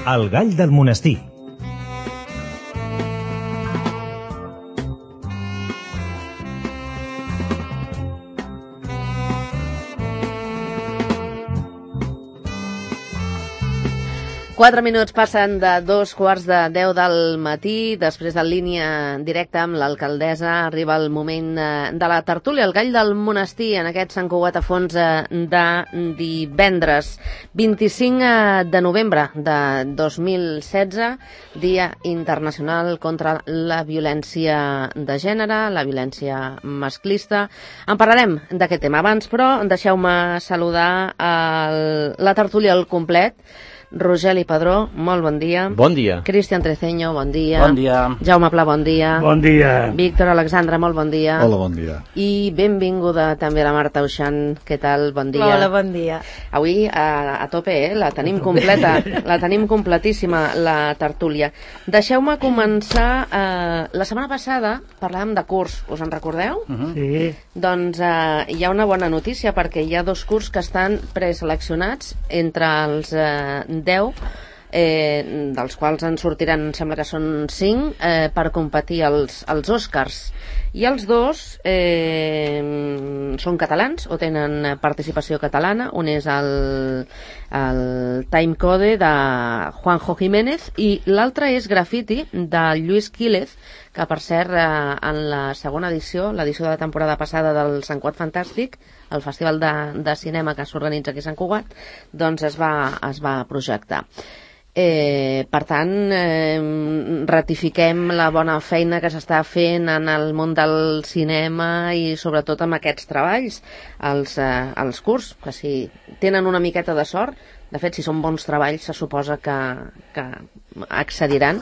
El gall del monestir. Quatre minuts passen de 2:45 del matí. Després de línia directa amb l'alcaldessa arriba el moment de la tertúlia, el gall del monestir, en aquest Sant Cugat a Fons de divendres 25 de novembre de 2016, Dia Internacional contra la Violència de Gènere, la violència masclista. En parlarem d'aquest tema. Abans, però, deixeu-me saludar la tertúlia al complet. Rogeli Padró, molt bon dia. Bon dia. Cristian Treceño, bon dia. Bon dia. Jaume Pla, bon dia. Bon dia. Víctor Alexandra, molt bon dia. Hola, bon dia. I benvinguda també la Marta Uixant. Què tal? Bon dia. Hola, bon dia. Avui a tope, la tenim completa, la tenim completíssima, la tertúlia. Deixeu-me començar. La setmana passada parlàvem de curs, us en recordeu? Sí. Doncs hi ha una bona notícia, perquè hi ha 2 cursos que estan preseleccionats entre els 10, dels quals en sortiran, em sembla que són 5, per competir als Oscars. I els 2 són catalans o tenen participació catalana. Un és el Timecode de Juanjo Jiménez i l'altre és Graffiti de Lluís Quílez, que per cert en la segona edició, l'edició de la temporada passada del Sant Cugat Fantàstic, el festival de cinema que s'organitza aquí a Sant Cugat, doncs es va projectar. Per tant, ratifiquem la bona feina que s'està fent en el món del cinema i sobretot amb aquests treballs, els curs, que si tenen una miqueta de sort, de fet, si són bons treballs, se suposa que accediran.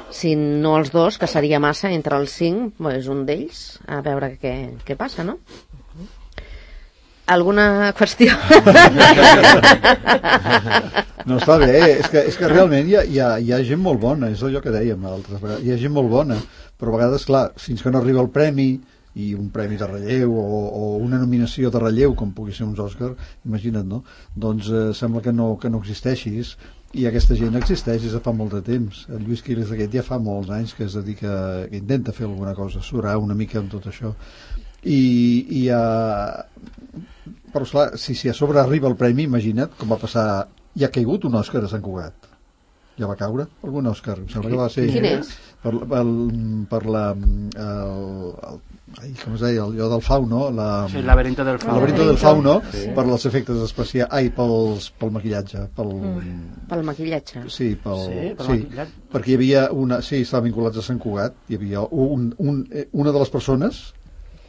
Si no els 2, que seria massa, entre els 5, és un d'ells, a veure què passa, no? Alguna qüestió? No, està bé, és que realment hi ha gent molt bona, és allò que dèiem altres vegades, hi ha gent molt bona, però a vegades, clar, fins que no arriba el premi, i un premi de relleu o una nominació de relleu, com pugui ser uns Òscar, imagina't, no? Doncs sembla que no existeixis, i aquesta gent existeix des de fa molt de temps. El Lluís Quílez aquest ja fa molts anys que es dedica, que intenta fer alguna cosa, surar una mica amb tot això. Però esclar, si a sobre arriba el premi, imagina't com va passar. Ja ha caigut un Òscar a Sant Cugat. Ja va caure algun Òscar, em sembla que va ser. Quin és? Per la com es deia, allò del fauno, sí, el laberinto del fauno. El laberinto del fauno, sí. Per els efectes especials, pel maquillatge, pel maquillatge. Sí, maquillatge. Perquè hi havia estava vinculats a Sant Cugat, hi havia una de les persones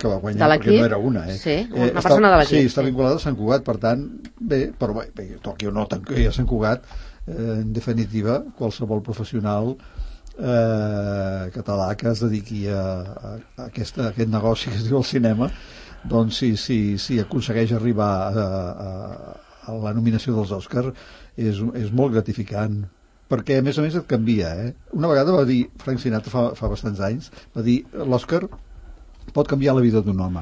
que va guanyar, perquè no era una, Sí, una persona de l'equip. Sí, està vinculada a Sant Cugat, per tant, però toqui o no toqui a Sant Cugat, en definitiva, qualsevol professional català que es dediqui a aquest negoci que es diu el cinema, doncs si aconsegueix arribar a la nominació dels Òscars és molt gratificant, perquè a més et canvia. Una vegada va dir Frank Sinatra fa bastants anys, va dir l'Òscar pot canviar la vida d'un home,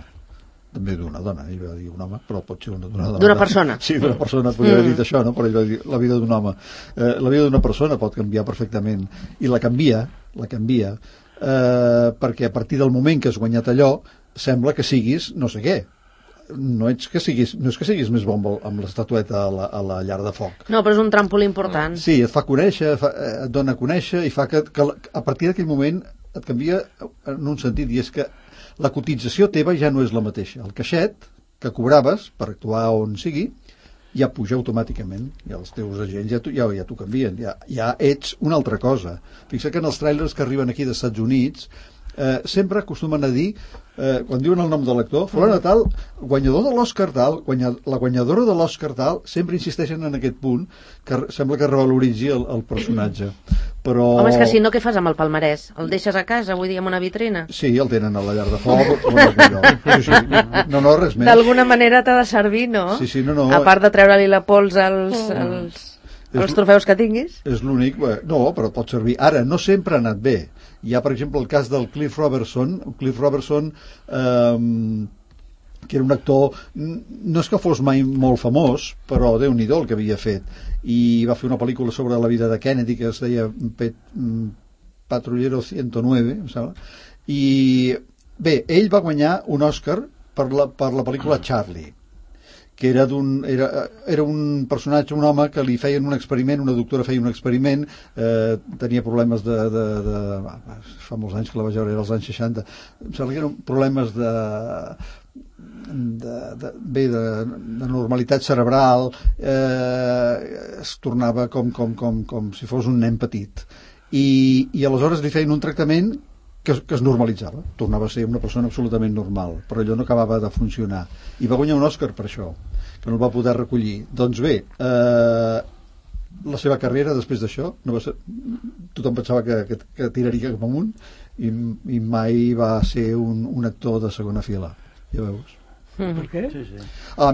també d'una dona, ell va dir un home, però pot ser una dona. D'una persona. Sí, d'una persona, podria haver dit això, no? Però ell va dir la vida d'un home. La vida d'una persona pot canviar perfectament, i la canvia, perquè a partir del moment que has guanyat allò, sembla que siguis no sé què. No és que siguis més bon amb l'estatueta a la llar de foc. No, però és un trampolí important. Sí, et fa conèixer, et dona a conèixer, i fa que a partir d'aquell moment et canvia en un sentit, i és que la cotització teva ja no és la mateixa. El caixet que cobraves per actuar on sigui ja puja automàticament, i els teus agents ja t'ho canvien, ja ets una altra cosa. Fixa't que en els tràilers que arriben aquí dels Estats Units sempre acostumen a dir, quan diuen el nom de l'actor, fulana tal, guanyador de l'Òscar tal, la guanyadora de l'Òscar tal, sempre insisteixen en aquest punt, que sembla que revaloritzi el personatge. Però... Home, és que si no, què fas amb el palmarès? El deixes a casa, vull dir, en una vitrina? Sí, el tenen a la llar de foc. No, res més. D'alguna manera t'ha de servir, no? Sí, no. A part de treure-li la pols als trofeus que tinguis. És l'únic, no, però pot servir. Ara, no sempre ha anat bé. Hi ha, per exemple, el cas del Cliff Robertson. Cliff Robertson que era un actor, no és que fos mai molt famós, però Déu-n'hi-do el que havia fet, i va fer una pel·lícula sobre la vida de Kennedy que es deia Patrullero 109, em sembla, i bé, ell va guanyar un Oscar per la pel·lícula Charlie, que era un personatge, un home que li feien un experiment, una doctora feia un experiment, tenia problemes fa molts anys que la vaig veure, era als anys 60, em sembla que eren problemes de normalitat cerebral, es tornava com si fos un nen petit, i aleshores li feien un tractament que es normalitzava, tornava a ser una persona absolutament normal, però allò no acabava de funcionar, i va guanyar un Òscar per això, que no el va poder recollir. Doncs bé, la seva carrera després d'això no va ser, tothom pensava que tiraria cap amunt, i mai va ser un actor de segona fila, ja veus. Per què? Sí.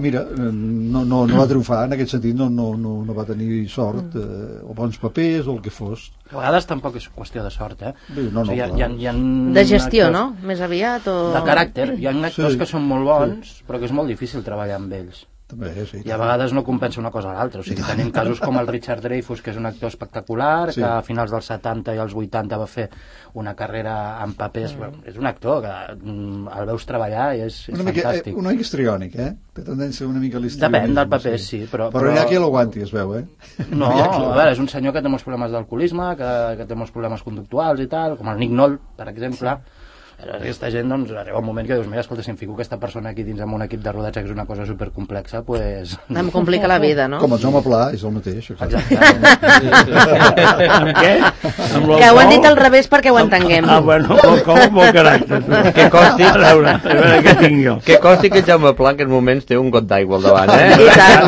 Mira, no va triomfar en aquest sentit, no va tenir sort, o bons papers o el que fos. A vegades tampoc és qüestió de sort, No, o sigui, hi ha de gestió, actors, no? Més aviat o... de caràcter. Hi ha actors que són molt bons, però que és molt difícil treballar amb ells. També, sí. I a vegades no compensa una cosa a l'altra. O sigui, tenim casos com el Richard Dreyfuss, que és un actor espectacular, que a finals dels 70 i els 80 va fer una carrera en papers. És un actor que el veus treballar i és fantàstic. Una mica histriònic, Té tendència una mica a l'histrionisme. Depèn del paper, sí. Però hi ha qui l'aguanti, es veu, No, a veure, és un senyor que té molts problemes d'alcoholisme, que té molts problemes conductuals i tal, com el Nick Nolte, per exemple. Aquesta gent, doncs, arriba un moment que dius, mira, escolta, si em fico aquesta persona aquí dins amb un equip de rodatge que és una cosa supercomplexa, pues... Em complica la vida, no? Com el Jaume Pla, és el mateix. Exacte. Amb què? Que ho han dit al revés perquè ho entenguem. Bueno, molt caràcter. Que costi, a veure què tinc jo. Que costi que el Jaume Pla en aquests moments té un got d'aigua al davant, I tant.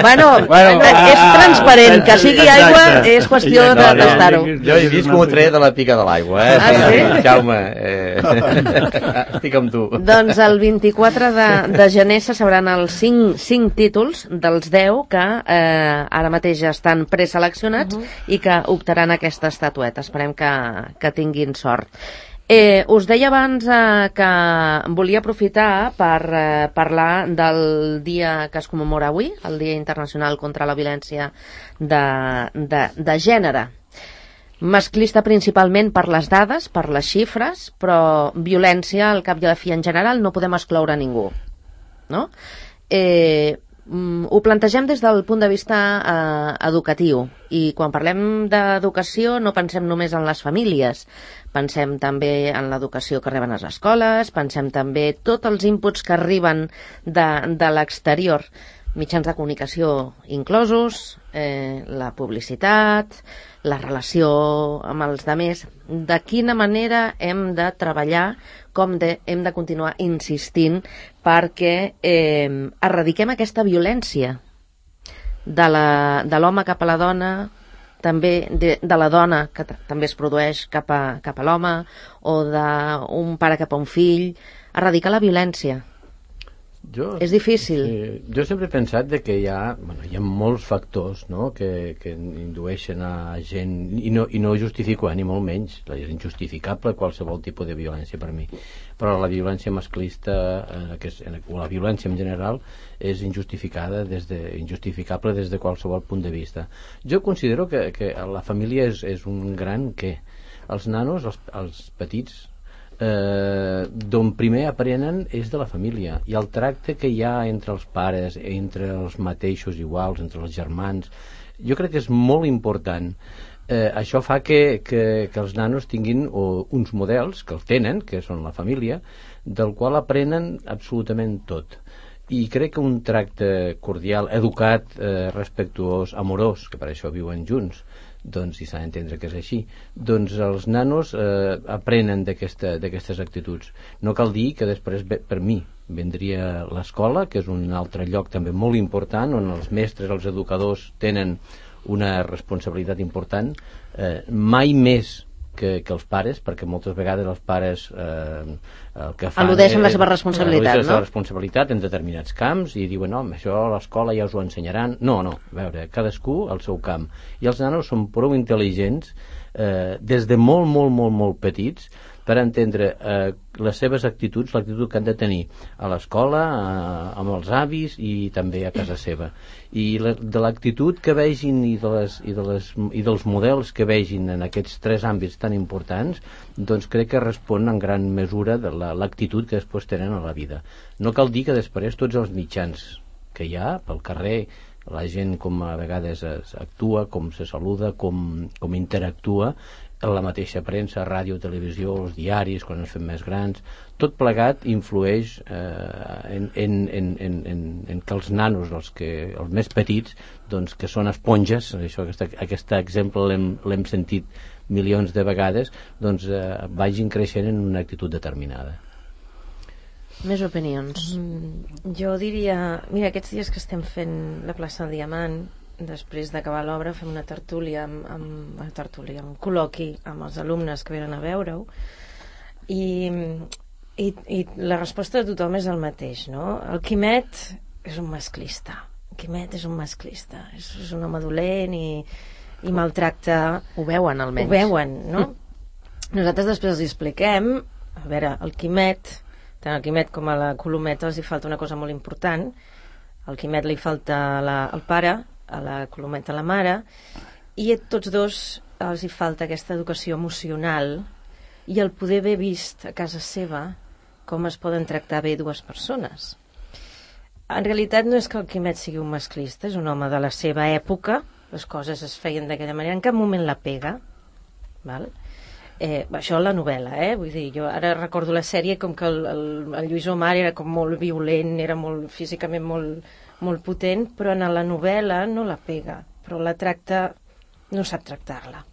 Bueno, és transparent, que sigui aigua és qüestió de tastar-ho. Jo he vist com ho treia de la pica de l'aigua, sí? Jaume, estic amb tu. Doncs el 24 de gener se sabran els 5 títols dels 10 que ara mateix estan preseleccionats i que optaran aquesta estatueta. Esperem que tinguin sort. Us deia abans que volia aprofitar per parlar del dia que es commemora avui, el Dia Internacional contra la Violència de Gènere. Masclista principalment per les dades, per les xifres, però violència al cap i a la fi en general no podem excloure ningú, no? Ho plantegem des del punt de vista educatiu, i quan parlem d'educació no pensem només en les famílies, pensem també en l'educació que reben les escoles, pensem també tots els inputs que arriben de l'exterior, mitjans de comunicació inclosos, la publicitat, la relació amb els altres, de quina manera hem de treballar, com hem de continuar insistint perquè erradiquem aquesta violència de l'home cap a la dona, també de la dona que també es produeix cap a l'home, o d'un pare cap a un fill, erradicar la violència. És difícil. Jo sempre he pensat que hi ha molts factors, no?, que indueixen a gent, i no justifico, ni molt menys, és injustificable qualsevol tipus de violència per mi, però la violència masclista o la violència en general és injustificable des de qualsevol punt de vista. Jo considero que la família és un gran què. Els nanos, els petits, d'on primer aprenen és de la família, i el tracte que hi ha entre els pares, entre els mateixos iguals, entre els germans, jo crec que és molt important. Això fa que els nanos tinguin uns models que el tenen, que són la família, del qual aprenen absolutament tot, i crec que un tracte cordial, educat, respectuós, amorós, que per això viuen junts, doncs si s'ha d'entendre que és així, doncs els nanos aprenen d'aquestes actituds. No cal dir que després, per mi, vendria l'escola, que és un altre lloc també molt important, on els mestres, els educadors tenen una responsabilitat important, mai més que els pares, perquè moltes vegades els pares el que fan al·ludeixen la seva responsabilitat, la seva responsabilitat en determinats camps i diuen, no, això a l'escola ja us ho ensenyaran. No, a veure, cadascú al seu camp, i els nanos són prou intel·ligents des de molt petits per entendre les seves actituds, l'actitud que han de tenir a l'escola, amb els avis i també a casa seva. I de l'actitud que vegin i dels models que vegin en aquests 3 àmbits tan importants, doncs crec que respon en gran mesura de l'actitud que després tenen a la vida. No cal dir que després tots els mitjans que hi ha pel carrer, la gent com a vegades actua, com se saluda, com interactua, la mateixa premsa, ràdio, televisió, els diaris, quan ens fem més grans, tot plegat influeix en que els nanos, els més petits, doncs, que són esponges, això, aquest exemple l'hem sentit milions de vegades, doncs vagin creixent en una actitud determinada. Més opinions. Jo diria, mira, aquests dies que estem fent la plaça del Diamant, després d'acabar l'obra fem una tertúlia un col·loqui amb els alumnes que venen a veure-ho i la resposta de tothom és el mateix, no? El Quimet és un masclista, és un home dolent i maltracta. Ho veuen, almenys. Ho veuen, no? Nosaltres després els expliquem, a veure, el Quimet, tant al Quimet com a la Colometa els hi falta una cosa molt important. Al Quimet li falta el pare, a la Colometa la mare, i a tots dos els hi falta aquesta educació emocional i el poder haver vist a casa seva com es poden tractar bé dues persones. En realitat no és que el Quimet sigui un masclista, és un home de la seva època, les coses es feien d'aquella manera, en cap moment la pega, val? Això la novel·la, vull dir, jo ara recordo la sèrie com que el Lluís Omar era com molt violent, era físicament molt potent, però en la novel·la no la pega, però la tracta, no sap tractar-la.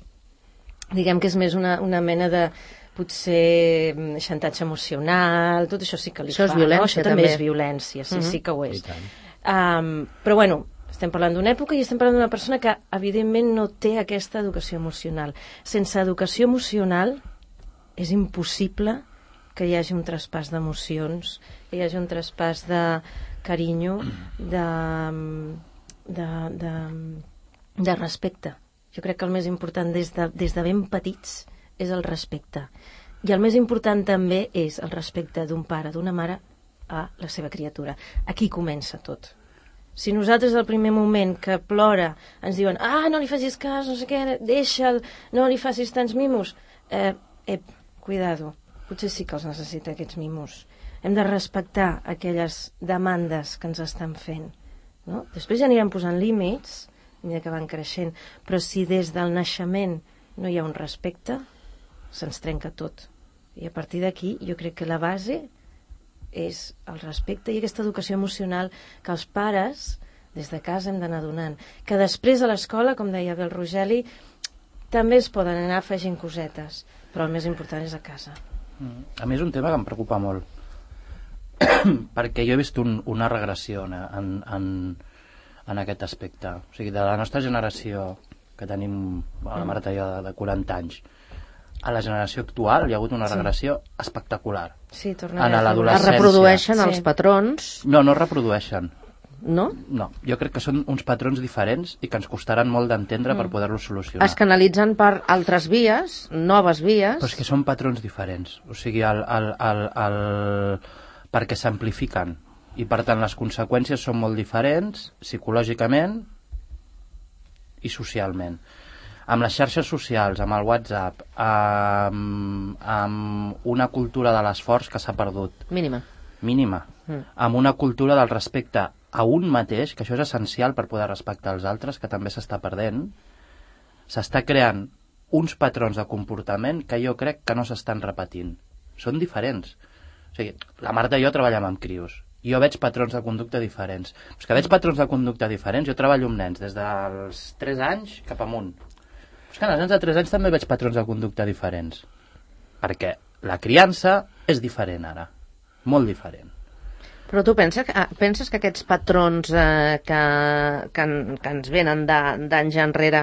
Diguem que és més una mena de potser xantatge emocional, tot això sí que li fa. Això és violència, no? Això també és violència, sí que ho és. Però bueno, estem parlant d'una època i estem parlant d'una persona que evidentment no té aquesta educació emocional. Sense educació emocional és impossible que hi hagi un traspàs d'emocions, que hi hagi un traspàs de carinyo, de respecte. Jo crec que el més important des de ben petits és el respecte. I el més important també és el respecte d'un pare, d'una mare a la seva criatura. Aquí comença tot. Si nosaltres al primer moment que plora ens diuen no li facis cas, no sé què, deixa'l, no li facis tants mimos, cuidado, potser sí que els necessita aquests mimos. Hem de respectar aquelles demandes que ens estan fent, no? Després ja anirem posant límits a mesura que van creixent, però si des del naixement no hi ha un respecte, se'ns trenca tot. I a partir d'aquí jo crec que la base és el respecte i aquesta educació emocional que els pares des de casa hem d'anar donant, que després a l'escola, com deia bé el Rogeli, també es poden anar afegint cosetes, però el més important és a casa. A mi és un tema que em preocupa molt perquè jo he vist una regressió en aquest aspecte, o sigui, de la nostra generació que tenim la Marta i jo de 40 anys a la generació actual hi ha hagut una regressió espectacular. Sí, en l'adolescència. Es reprodueixen els patrons? No es reprodueixen. No? No, jo crec que són uns patrons diferents i que ens costaran molt d'entendre per poder-los solucionar. Es canalitzen per altres vies, noves vies... Però és que són patrons diferents, o sigui, perquè s'amplifiquen i per tant les conseqüències són molt diferents psicològicament i socialment. Amb les xarxes socials, amb el WhatsApp, amb una cultura de l'esforç que s'ha perdut. Mínima. Amb una cultura del respecte a un mateix, que això és essencial per poder respectar els altres, que també s'està perdent, s'està creant uns patrons de comportament que jo crec que no s'estan repetint. Són diferents. O sigui, la Marta i jo treballem amb crios. Jo veig patrons de conducta diferents. Però és que veig patrons de conducta diferents. Jo treballo amb nens des dels 3 anys cap amunt. És que als nens de 3 anys també veig patrons de conducta diferents. Perquè la criança és diferent ara. Molt diferent. Però tu penses que aquests patrons que ens venen d'anys enrere,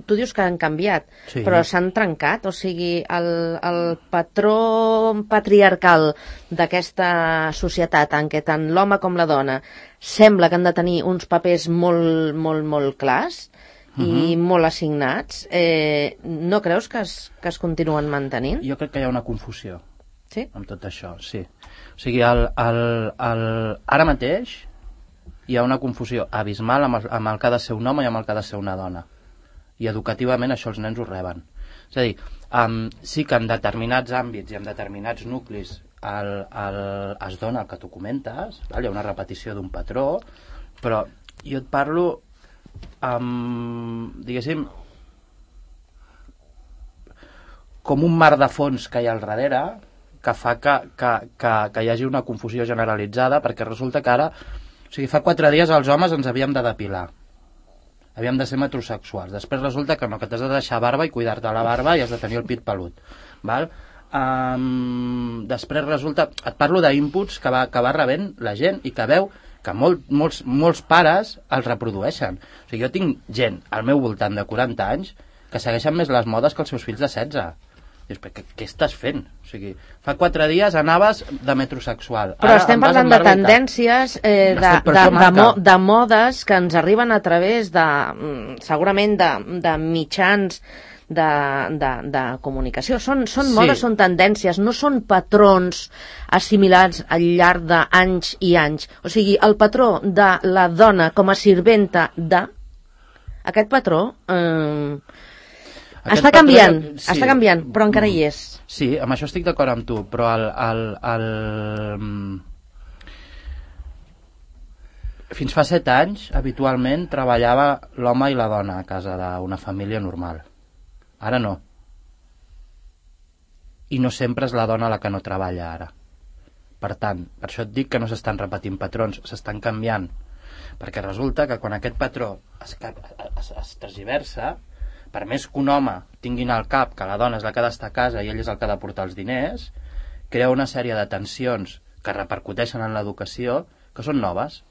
tu dius que han canviat, sí, però s'han trencat? O sigui, el patró patriarcal d'aquesta societat en què tant l'home com la dona sembla que han de tenir uns papers molt, molt, molt clars, i molt assignats, no creus que es continuen mantenint? Jo crec que hi ha una confusió Sí? amb tot això, sí. O sigui, ara mateix hi ha una confusió abismal amb el que ha de ser un home i amb el que ha de ser una dona. I educativament això els nens ho reben. És a dir, sí que en determinats àmbits i en determinats nuclis es dona el que tu comentes, hi ha una repetició d'un patró, però jo et parlo diguéssim, com un mar de fons que hi ha al darrere que fa que hi hagi una confusió generalitzada, perquè resulta que ara, o sigui, fa 4 dies els homes ens havíem de depilar, havíem de ser metrosexuals, després resulta que no, que t'has de deixar barba i cuidar-te la barba i has de tenir el pit pelut, val? Després resulta, et parlo d'inputs que va rebent la gent i que veu que molts pares els reprodueixen. O sigui, jo tinc gent al meu voltant de 40 anys que segueixen més les modes que els seus fills de 16. Dius, què estàs fent? O sigui, fa 4 dies anaves de metrosexual. Però estem parlant de tendències, de modes que ens arriben a través de, segurament, de mitjans de comunicació. Són modes, són tendències, no són patrons assimilats al llarg d'anys i anys. O sigui, el patró de la dona com a sirventa aquest patró està canviant, però encara hi és. Sí, amb això estic d'acord amb tu, però fins fa 7 anys, habitualment, treballava l'home i la dona a casa d'una família normal. Ara no. I no sempre és la dona la que no treballa ara. Per tant, per això et dic que no s'estan repetint patrons, s'estan canviant. Perquè resulta que quan aquest patró es tergiversa, per més que un home tinguin al cap que la dona és la que ha d'estar a casa i ell és el que ha de portar els diners, crea una sèrie de tensions que repercuteixen en l'educació que són noves.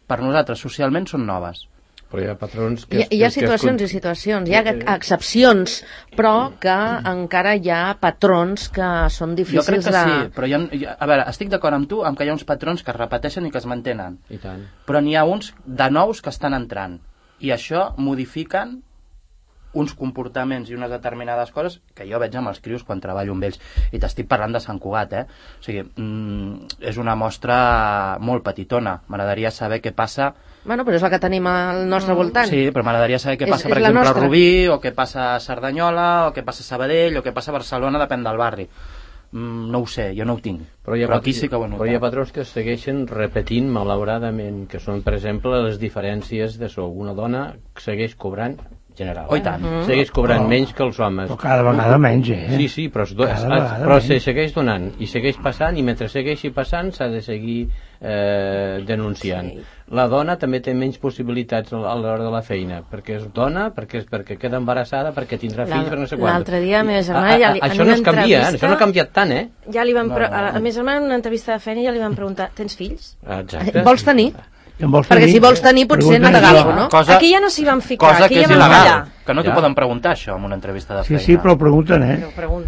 Per nosaltres, socialment, són noves. Però hi ha patrons hi ha situacions i situacions, hi ha excepcions, però que encara hi ha patrons que són difícils de... Jo crec que sí, però a veure, estic d'acord amb tu amb que hi ha uns patrons que es repeteixen i que es mantenen. I tant. Però n'hi ha uns de nous que estan entrant. I això modifiquen uns comportaments i unes determinades coses que jo veig amb els crios quan treballo amb ells. I t'estic parlant de Sant Cugat, O sigui, és una mostra molt petitona. M'agradaria saber què passa... Bueno, però és la que tenim al nostre voltant. Sí, però m'agradaria saber què passa, per exemple, a Rubí, o què passa a Cerdanyola, o què passa a Sabadell, o què passa a Barcelona, depèn del barri. No ho sé, jo no ho tinc. Però aquí sí que ho he notat. Però hi ha patrons que segueixen repetint, malauradament, que són, per exemple, les diferències de sou. Una dona segueix cobrant general. Oh, i tant. Segueix cobrant menys que els homes. Però cada vegada menys, Sí, però se segueix donant i segueix passant, i mentre segueixi passant s'ha de seguir denunciant. Sí. La dona també té menys possibilitats a l'hora de la feina, perquè és dona, perquè queda embarassada, perquè tindrà fills, per no sé quant. L'altre dia, a meva germana, això no es canvia, això no ha canviat tant, Ja li van a meva germana, en una entrevista de feina, ja li van preguntar, tens fills? Exacte. Vols tenir? Perquè si vols tenir potser no t'agafo, no? Aquí ja no s'hi van ficar, cosa aquí que ja és van il·legal, fallar. que no t'ho poden preguntar això en una entrevista de feina. Sí, però ho pregunten,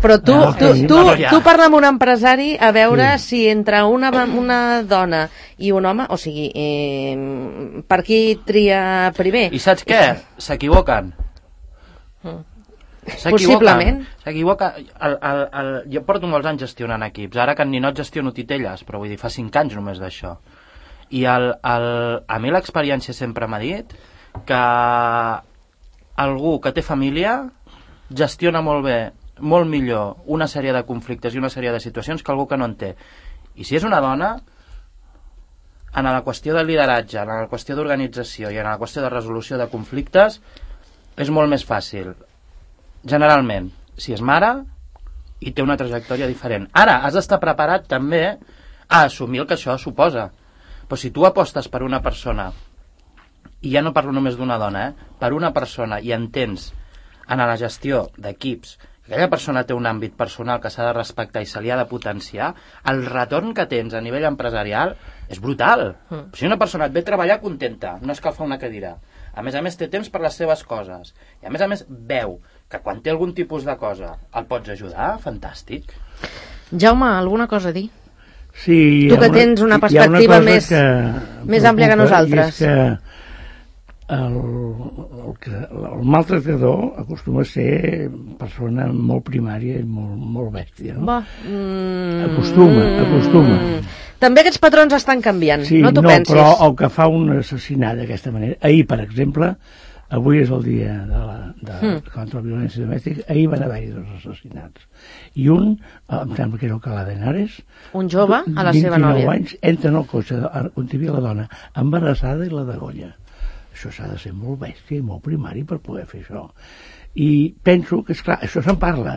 Però tu parla amb un empresari a veure si entre una dona i un home, o sigui, per qui tria primer? I saps què? S'equivoquen. Possiblement. Jo porto molts anys gestionant equips, ara que en Ninot gestiono titelles, però vull dir, fa 5 anys només d'això. I a mi l'experiència sempre m'ha dit que algú que té família gestiona molt bé, molt millor, una sèrie de conflictes i una sèrie de situacions que algú que no en té. I si és una dona, en la qüestió de lideratge, en la qüestió d'organització i en la qüestió de resolució de conflictes, és molt més fàcil. Generalment, si és mare i té una trajectòria diferent. Ara, has d'estar preparat també a assumir el que això suposa. Però si tu apostes per una persona, i ja no parlo només d'una dona, per una persona i entens en la gestió d'equips que aquella persona té un àmbit personal que s'ha de respectar i se li ha de potenciar, el retorn que tens a nivell empresarial és brutal. Si una persona et ve a treballar contenta, no escalfa una cadira, a més té temps per les seves coses, i a més veu que quan té algun tipus de cosa el pots ajudar, fantàstic. Jaume, alguna cosa a dir? Sí, tu que tens una perspectiva més àmplia que nosaltres. És que el maltractador acostuma a ser persona molt primària i molt bèstia, no? Acostuma. També aquests patrons estan canviant, sí, no t'ho pensis? Però el que fa un assassinat d'aquesta manera, ahir, per exemple, avui és el dia contra la violència domèstica, ahir van haver-hi 2 assassinats. I un, em sembla que era el Calà d'Henares, un jove a la seva nòvia. 29 anys, entra en el cotxe on hi havia la dona embarassada i la degolla. Això s'ha de ser molt bèstia i molt primari per poder fer això. I penso que, esclar, això se'n parla.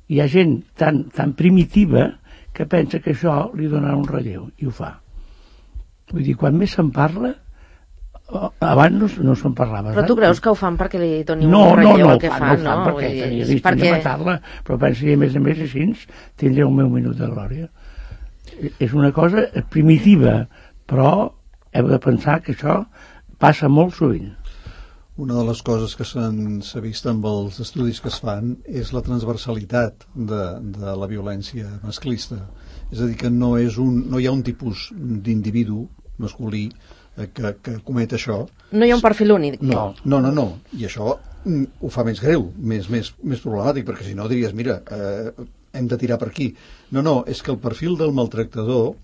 Hi ha gent tan primitiva que pensa que això li donarà un relleu, i ho fa. Vull dir, quan més se'n parla, abans no se'n parlava. Però tu creus que ho fan perquè li doni un relleu al que fan? No, perquè tenia vist de matar-la, però penso que a més així tindré el meu minut de glòria. És una cosa primitiva, però heu de pensar que això passa molt sovint. Una de les coses que s'ha vist amb els estudis que es fan és la transversalitat de la violència masclista. És a dir, que no hi ha un tipus d'individu masculí que comet això. No hi ha un perfil únic. No. I això ho fa més greu, més problemàtic, perquè si no diries, mira, hem de tirar per aquí. No, és que el perfil del maltractador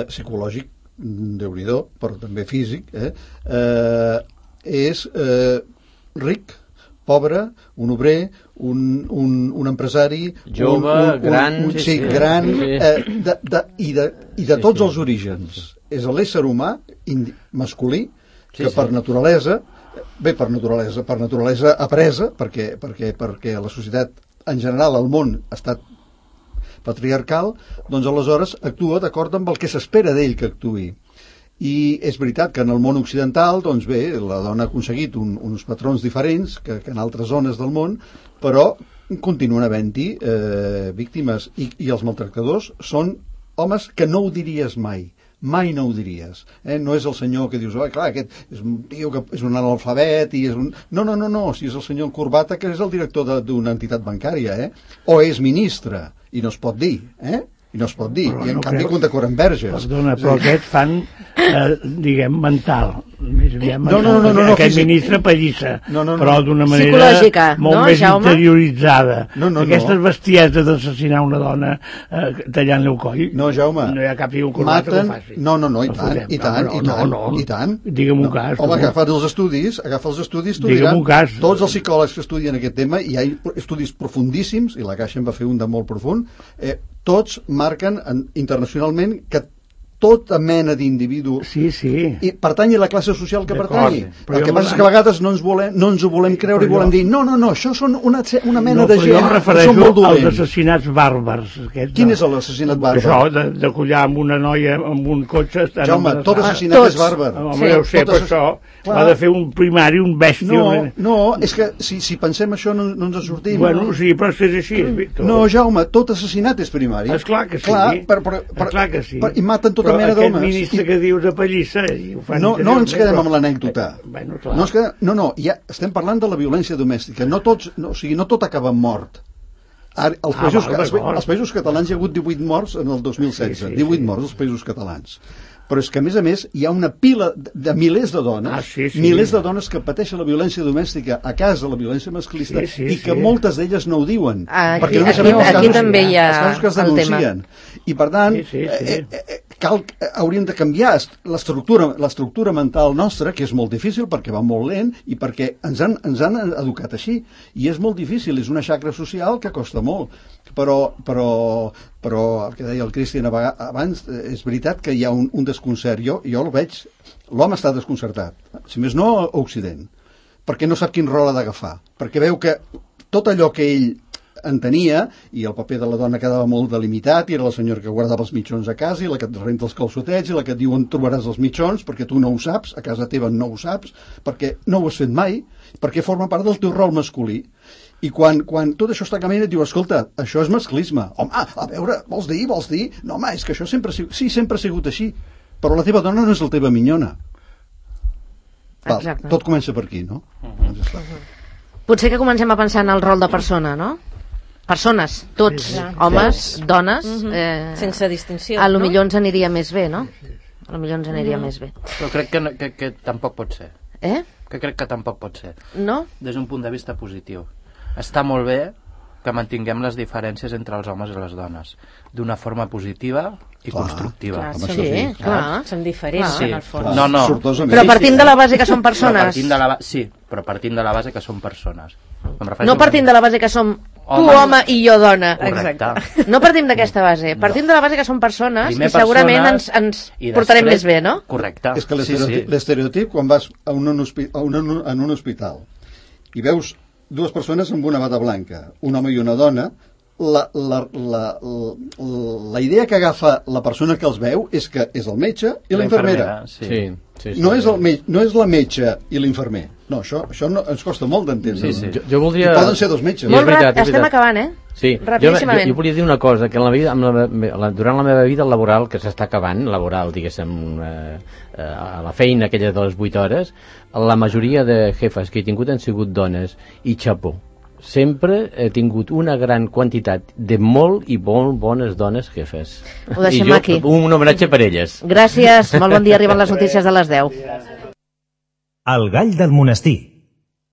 psicològic, Déu-n'hi-do, però també físic, és ric, pobre, un obrer, un empresari, jove, gran, gran, i de tots els orígens. És l'ésser humà masculí que per naturalesa, per naturalesa apresa, perquè la societat en general, el món ha estat patriarcal, doncs aleshores actua d'acord amb el que s'espera d'ell que actuï. I és veritat que en el món occidental, doncs bé, la dona ha aconseguit uns patrons diferents que en altres zones del món, però continuen havent-hi víctimes, i els maltractadors són homes que no ho diries mai no ho diries. No és el senyor que dius, clar, aquest és un tio que és un analfabet i és un... No, si és el senyor Corbata, que és el director d'una entitat bancària, o és ministre, i no es pot dir, i no es pot dir, i en canvi condecoren verges. Perdona, però aquests fan, diguem, mental. No, aquest ministre pallissa, però d'una manera psicològica, molt més interioritzada. Aquestes bestieses d'assassinar una dona tallant-li el coll. No, Jaume. No hi ha cap figura corbata que ho faci. No, i tant. Digue'm un cas. Home, agafa els estudis, tu diràs, tots els psicòlegs que estudien aquest tema, i hi ha estudis profundíssims, i la Caixa en va fer un de molt profund, tots marquen internacionalment que tota mena d'individu i pertanyi a la classe social que pertanyi. El que passa és que a vegades no ens ho volem creure i volem dir no, això són una mena de gent. Jo em refereixo als assassinats bàrbars. Quin és l'assassinat bàrbar? Això, de collar amb una noia amb un cotxe... Jaume, tot assassinat és bàrbar. Home, ja ho sé, però això va de fer un primari, un bèstia... No, és que si pensem això no ens en sortim. Bueno, sí, però és així, Víctor. No, Jaume, tot assassinat és primari. Esclar que sí. Esclar que sí. I maten tota mena d'homes. Aquest ministre que dius de pallissa... No ens quedem amb l'anècdota. Ja estem parlant de la violència domèstica. No tot acaba amb mort. Als Països Catalans hi ha hagut 18 morts en el 2016. 18 morts als Països Catalans. Però és que, a més, hi ha una pila de milers de dones, milers de dones que pateixen la violència domèstica a casa, la violència masclista, i que moltes d'elles no ho diuen. Aquí també hi ha el tema. I, per tant, hauríem de canviar l'estructura mental nostra, que és molt difícil perquè va molt lent i perquè ens han educat així. I és molt difícil, és una xacra social que costa molt. Però el que deia el Cristian abans, és veritat que hi ha un desconcert. Jo el veig, l'home està desconcertat, si més no a Occident, perquè no sap quin rol ha d'agafar, perquè veu que tot allò que ell entenia, i el paper de la dona quedava molt delimitat, i era la senyora que guardava els mitjons a casa, i la que et renta els calçotets, i la que et diu on trobaràs els mitjons, perquè tu no ho saps, a casa teva no ho saps, perquè no ho has fet mai, perquè forma part del teu rol masculí. I quan tot això està canviant et diu, escolta, això és masclisme. Home, a veure, vols dir? No, home, és que això sempre ha sigut així, però la teva dona no és la teva minyona. Tot comença per aquí, no? Potser que comencem a pensar en el rol de persona, no? Persones, tots, homes, dones... Sense distinció, a lo millor ens aniria més bé, no? A lo millor ens aniria més bé. Però crec que tampoc pot ser. Que crec que tampoc pot ser. No? Des d'un punt de vista positiu. Està molt bé que mantinguem les diferències entre els homes i les dones d'una forma positiva i constructiva. Clar, Home, sí, això sí. clar. Són diferents, Sí. en el fons. No. Sortosament. Però partint de la base que són persones. Sí, però partint de la base que són persones. No partint de la base que som tu Home. home i jo dona. Correcte. No partim d'aquesta base. Partim de la base que són persones Primer i segurament persones ens i portarem després- més bé, no? Correcte. És que l'estereotip, quan vas a en un hospital i veus dues persones amb una bata blanca, un home i una dona, la idea que agafa la persona que els veu és que és el metge i la infermera. Sí. No és la metge i l'infermer. No, això no, ens costa molt d'entendre. Sí. Jo voldria... I poden ser dos metges. Molt veritat, és estem veritat. acabant, Sí, Rapidíssimament. jo volia dir una cosa, que en la vida, durant la meva vida laboral, que s'està acabant, laboral, diguéssim, a la feina aquella de les 8 hores, la majoria de jefes que he tingut han sigut dones, i xapó. Sempre he tingut una gran quantitat de molt i molt bones dones jefes. Ho deixem I jo, aquí. un homenatge per elles. Gràcies, molt bon dia, arriben les notícies de les 10. El gall del monestir.